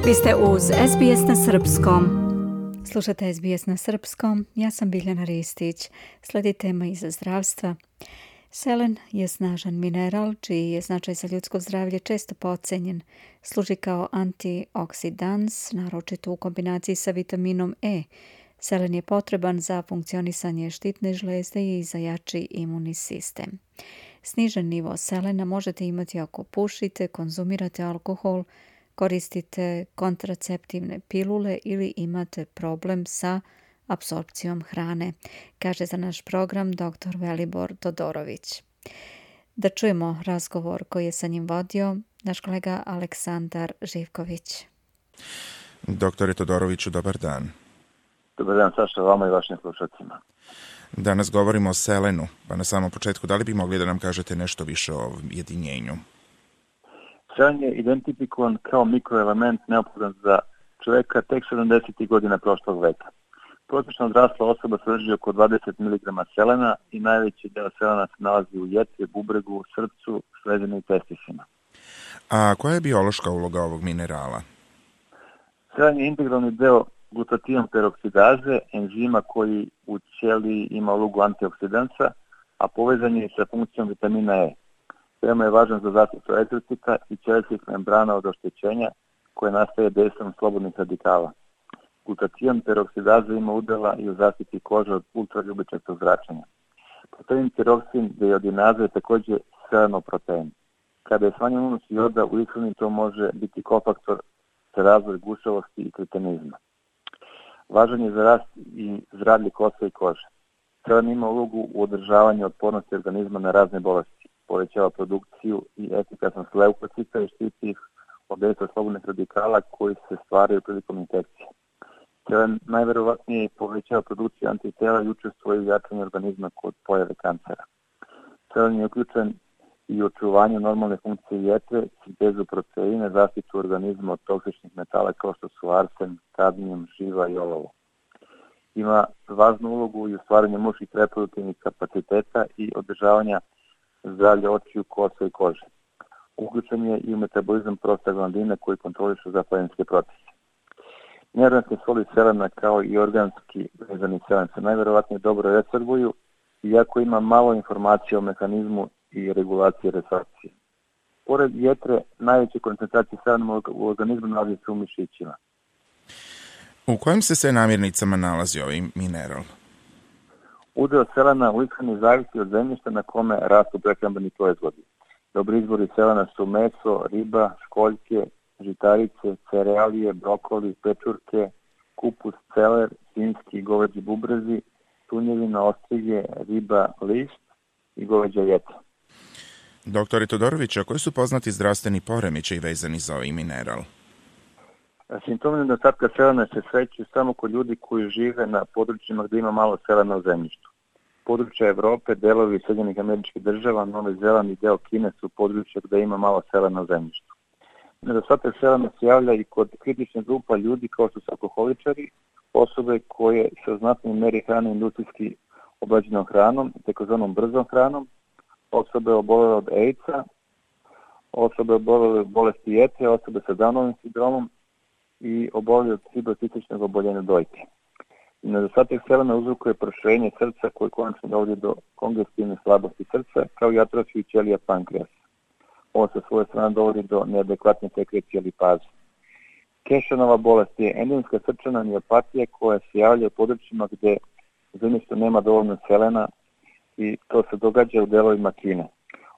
Vi ste uz SBS na Srpskom. Slušate SBS na Srpskom, ja sam Biljana Ristić. Slijedi tema iz zdravstva. Selen je snažan mineral, čiji je značaj za ljudsko zdravlje često podcenjen. Služi kao antioksidans, naročito u kombinaciji sa vitaminom E. Selen je potreban za funkcionisanje štitne žlezde i za jači imunni sistem. Snižen nivo selena možete imati ako pušite, konzumirate alkohol, koristite kontraceptivne pilule ili imate problem sa apsorpcijom hrane, kaže za naš program dr. Velibor Todorović. Da čujemo razgovor koji je sa njim vodio naš kolega Aleksandar Živković. Doktore Todoroviću, dobar dan. Dobar dan, Saša, vama i vašim slušacima. Danas govorimo o selenu, pa na samom početku, da li bi mogli da nam kažete nešto više o ovom jedinjenju? Selen je identifikovan kao mikroelement neophodan za čoveka tek 70. godina prošlog veka. Prosječno odrasla osoba sadrži oko 20 mg selena i najveći deo selena se nalazi u jetri, bubregu, srcu, sledini i testisima. A koja je biološka uloga ovog minerala? Selen je integralni deo glutatijon peroksidaze, enzima koji u ćeliji ima ulogu antioksidansa, a povezan je sa funkcijom vitamina E. Veoma je važan za zaštitu eritrocita i ćelijskih membrana od oštećenja koje nastaje dejstvom slobodnih radikala. Glutatijon peroksidaza ima udela i u zaštiti kože od ultraljubičastog zračenja. Protein tiroksin deiodinaza je također selenov protein. Kada je smanjen unos joda u ishrani, to može biti kofaktor za razvoj gušavosti i kretenizma. Važan je za rast i zdravlje kosa i kože. Selen ima ulogu u održavanju otpornosti organizma na razne bolesti, povećava produkciju i efikasnost leukocita i štiti ih od dejstva slobodnih radikala koji se stvaraju prilikom infekcije. Selen najverovatnije povećava produkciju antitela i učestvuje u jačanju organizma kod pojave kancera. Selen je uključen i u očuvanju normalne funkcije jetre, sintezu proteina, zaštitu organizma od toksičnih metala kao što su arsen, kadmijum, živa i olovo. Ima važnu ulogu i u stvaranju muških reproduktivnih kapaciteta i održavanja zdravlja očiju, kosa i kože. Uključen je i u metabolizam prostaglandina koji kontroliše zapaljenske procese. Neorganske soli selena kao i organski vezani selen se najverovatnije dobro resorbuju, iako ima malo informacija o mehanizmu i regulaciji resorpcije. Pored jetre, najveće koncentracije selena u organizmu nalazi se u mišićima. U kojim se sve namirnicama nalazi ovaj mineral? Udeo selena u ishrani zavisi od zemljišta na kome rastu prehrambeni proizvodi. Dobri izvori selena su meso, riba, školjke, žitarice, cerealije, brokoli, pečurke, kupus, celer, svinjski i goveđi bubrezi, tunjevina, ostrige, riba, list i goveđa jeta. Doktore Todorović, a koji su poznati zdravstveni poremećaji vezani za ovaj mineral? Simptomi nedostatka selena se sreću samo kod ljudi koji žive na područjima gdje ima malo selena u zemljištu. Područja Evrope, delovi Sjedinjenih Američkih Država, Novi Zeland i deo Kine su područja gdje ima malo selena u zemljištu. Nedostatak selena se javlja i kod kritične grupa ljudi kao što su alkoholičari, osobe koje se u znatnoj meri hrane industrijski obrađenom hranom, takozvanom brzom hranom, osobe obolele od AIDS-a, osobe obolele od bolesti jetre, osobe sa Downovim sindromom i obolele od fibrocističnog oboljenja dojke. Nedostatak selena uzrokuje proširenje srca koje konačno dovodi do kongestivne slabosti srca kao i atrofiju ćelija pankreasa. Ovo sa svoje strane dovodi do neadekvatne sekrecije lipaza. Kešenova bolest je endemska srčana miopatija koja se javlja u područjima gdje zemljište nema dovoljno selena i to se događa u delovima Kine.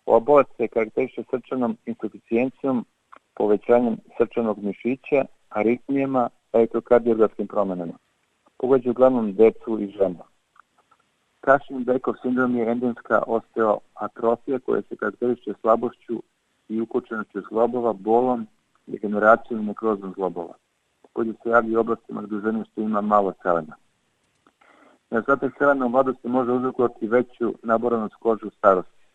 Ova bolest se karakteriše srčanom insuficijencijom, povećanjem srčanog mišića, aritmijama, elektrokardiografskim promenama. Pogađa uglavnom decu i žene. Cushing-Beckov sindrom je endemska osteoatrofija koja se karakteriše slabošću i ukočenošću zglobova, bolom, degeneracijom i nekrozom zglobova. Također se javlja u oblastima gdje u zemljištu ima malo selena. Nedostatak selena u mladosti može uzrokovati veću naboranost kože u starosti.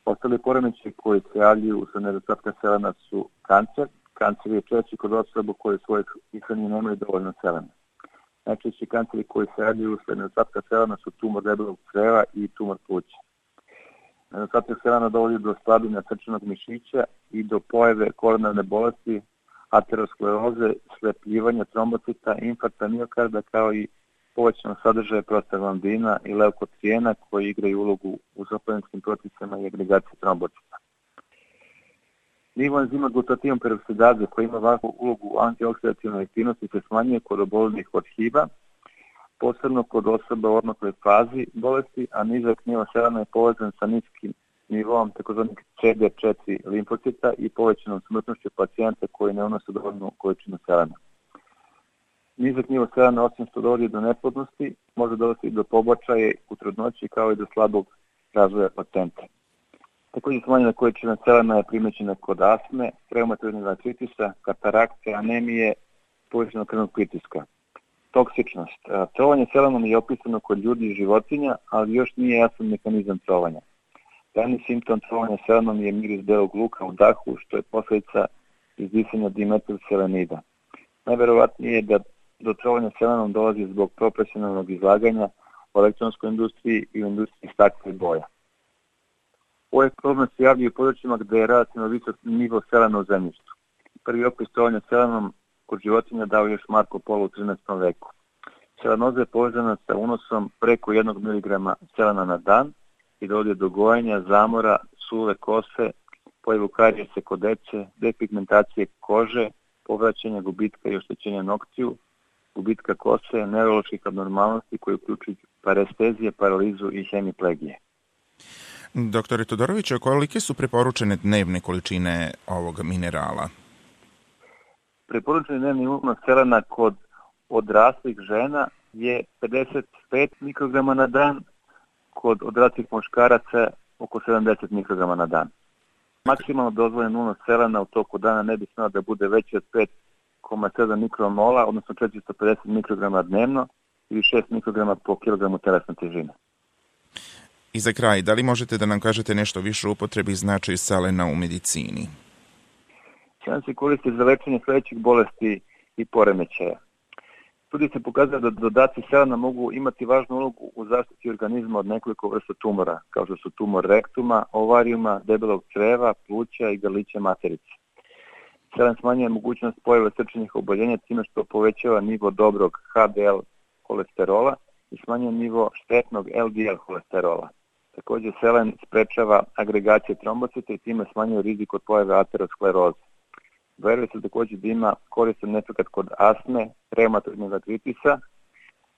Ostali poremećaji koji se javljaju usled nedostatka selena su kancer. Kancer je češći kod osoba koje svojih ishrani nemaju dovoljno selena. Najčešći kanceri koji se javljaju usled nedostatka selena su tumor debelog creva i tumor pluća. Nedostatak selena dovodi do slabljenja srčanog mišića i do pojave koronarne bolesti, ateroskleroze, slepljivanja trombocita, infarkta miokarda, kao i povećanog sadržaja prostaglandina i leukotrijena koji igraju ulogu u zapleninskim procesima i agregaciji trombocita. Nivo enzima glutatijon peroksidaze koji ima važnu ulogu u antioksidativnoj aktivnosti se smanjuje kod oboljelih od HIV-a, posebno kod osoba u odmakloj fazi bolesti, a nizak nivo selena je povezan sa niskim nivom tzv. CD4 limfocita i povećanom smrtnošću pacijenta koji ne unose dovoljnu količinu selena. Nizak nivo selena, osim što dovodi do neplodnosti, može dovesti do pobačaja u trudnoći kao i do slabog razvoja pacijenta. Također smanjena količina selena je primećena kod astme, reumatoidnog artritisa, katarakte, anemije, povećanog krvnog pritiska. Toksičnost. Trovanje selenom je opisano kod ljudi i životinja, ali još nije jasan mehanizam trovanja. Glavni simptom trovanja selenom je miris belog luka u dahu, što je posljedica izdisanja dimetilselenida. Najverovatnije je da do trovanja selenom dolazi zbog profesionalnog izlaganja u elektronskoj industriji i u industriji stakla i boja. Ovaj problem se javlja u područjima gde je relativno visok nivo selena u zemljištu. Prvi opis trovanja selenom kod životinja dao još Marko Polo u 13. veku. Selenoza je povezana sa unosom preko 1 mg selena na dan i dovodi do gojenja, zamora, suve kose, pojavu karijese kod dece, depigmentacije kože, povraćanja, gubitka i oštećenja noktiju, gubitka kose, neuroloških abnormalnosti koji uključuju parestezije, paralizu i hemiplegije. Doktore Todoroviću, kolike su preporučene dnevne količine ovog minerala? Preporučeni dnevni unos selena kod odraslih žena je 55 mikrograma na dan, kod odraslih muškaraca oko 70 mikrograma na dan. Maksimalno dozvoljen unos selena u toku dana ne bi smeo da bude veći od 5,7 mikromola, odnosno 450 mikrograma dnevno ili 6 mikrograma po kilogramu telesne težine. I za kraj, da li možete da nam kažete nešto više o upotrebi i značaju selena u medicini? Selen se koristi za lečenje sledećih bolesti i poremećaja. Studije se pokazuje da dodaci selena mogu imati važnu ulogu u zaštiti organizma od nekoliko vrsta tumora, kao što su tumor rektuma, ovarijuma, debelog creva, pluća i grlića materice. Selen smanjuje mogućnost pojave srčanih oboljenja time što povećava nivo dobrog HDL kolesterola i smanjuje nivo štetnog LDL kolesterola. Također selen sprečava agregacije trombocita i time smanjuje rizik od pojave ateroskleroze. Veruje se također da ima koristan efekat kod astme, reumatoidnog artritisa,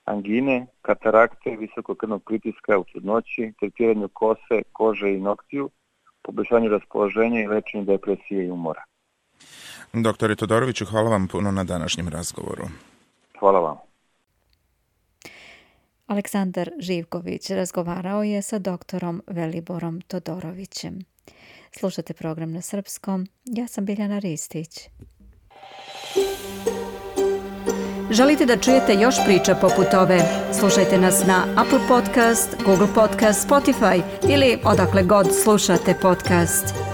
angine, katarakte, visokog krvnog pritiska u trudnoći, tretiranju kose, kože i noktiju, poboljšanju raspoloženja i lečenju depresije i umora. Doktore Todoroviću, hvala vam puno na današnjem razgovoru. Hvala vam. Aleksandar Živković razgovarao je sa doktorom Veliborom Todorovićem. Slušate program na srpskom. Ja sam Biljana Ristić. Želite da čujete još priča poput ove? Slušajte nas na Apple Podcast, Google Podcast, Spotify ili odakle god slušate podcast.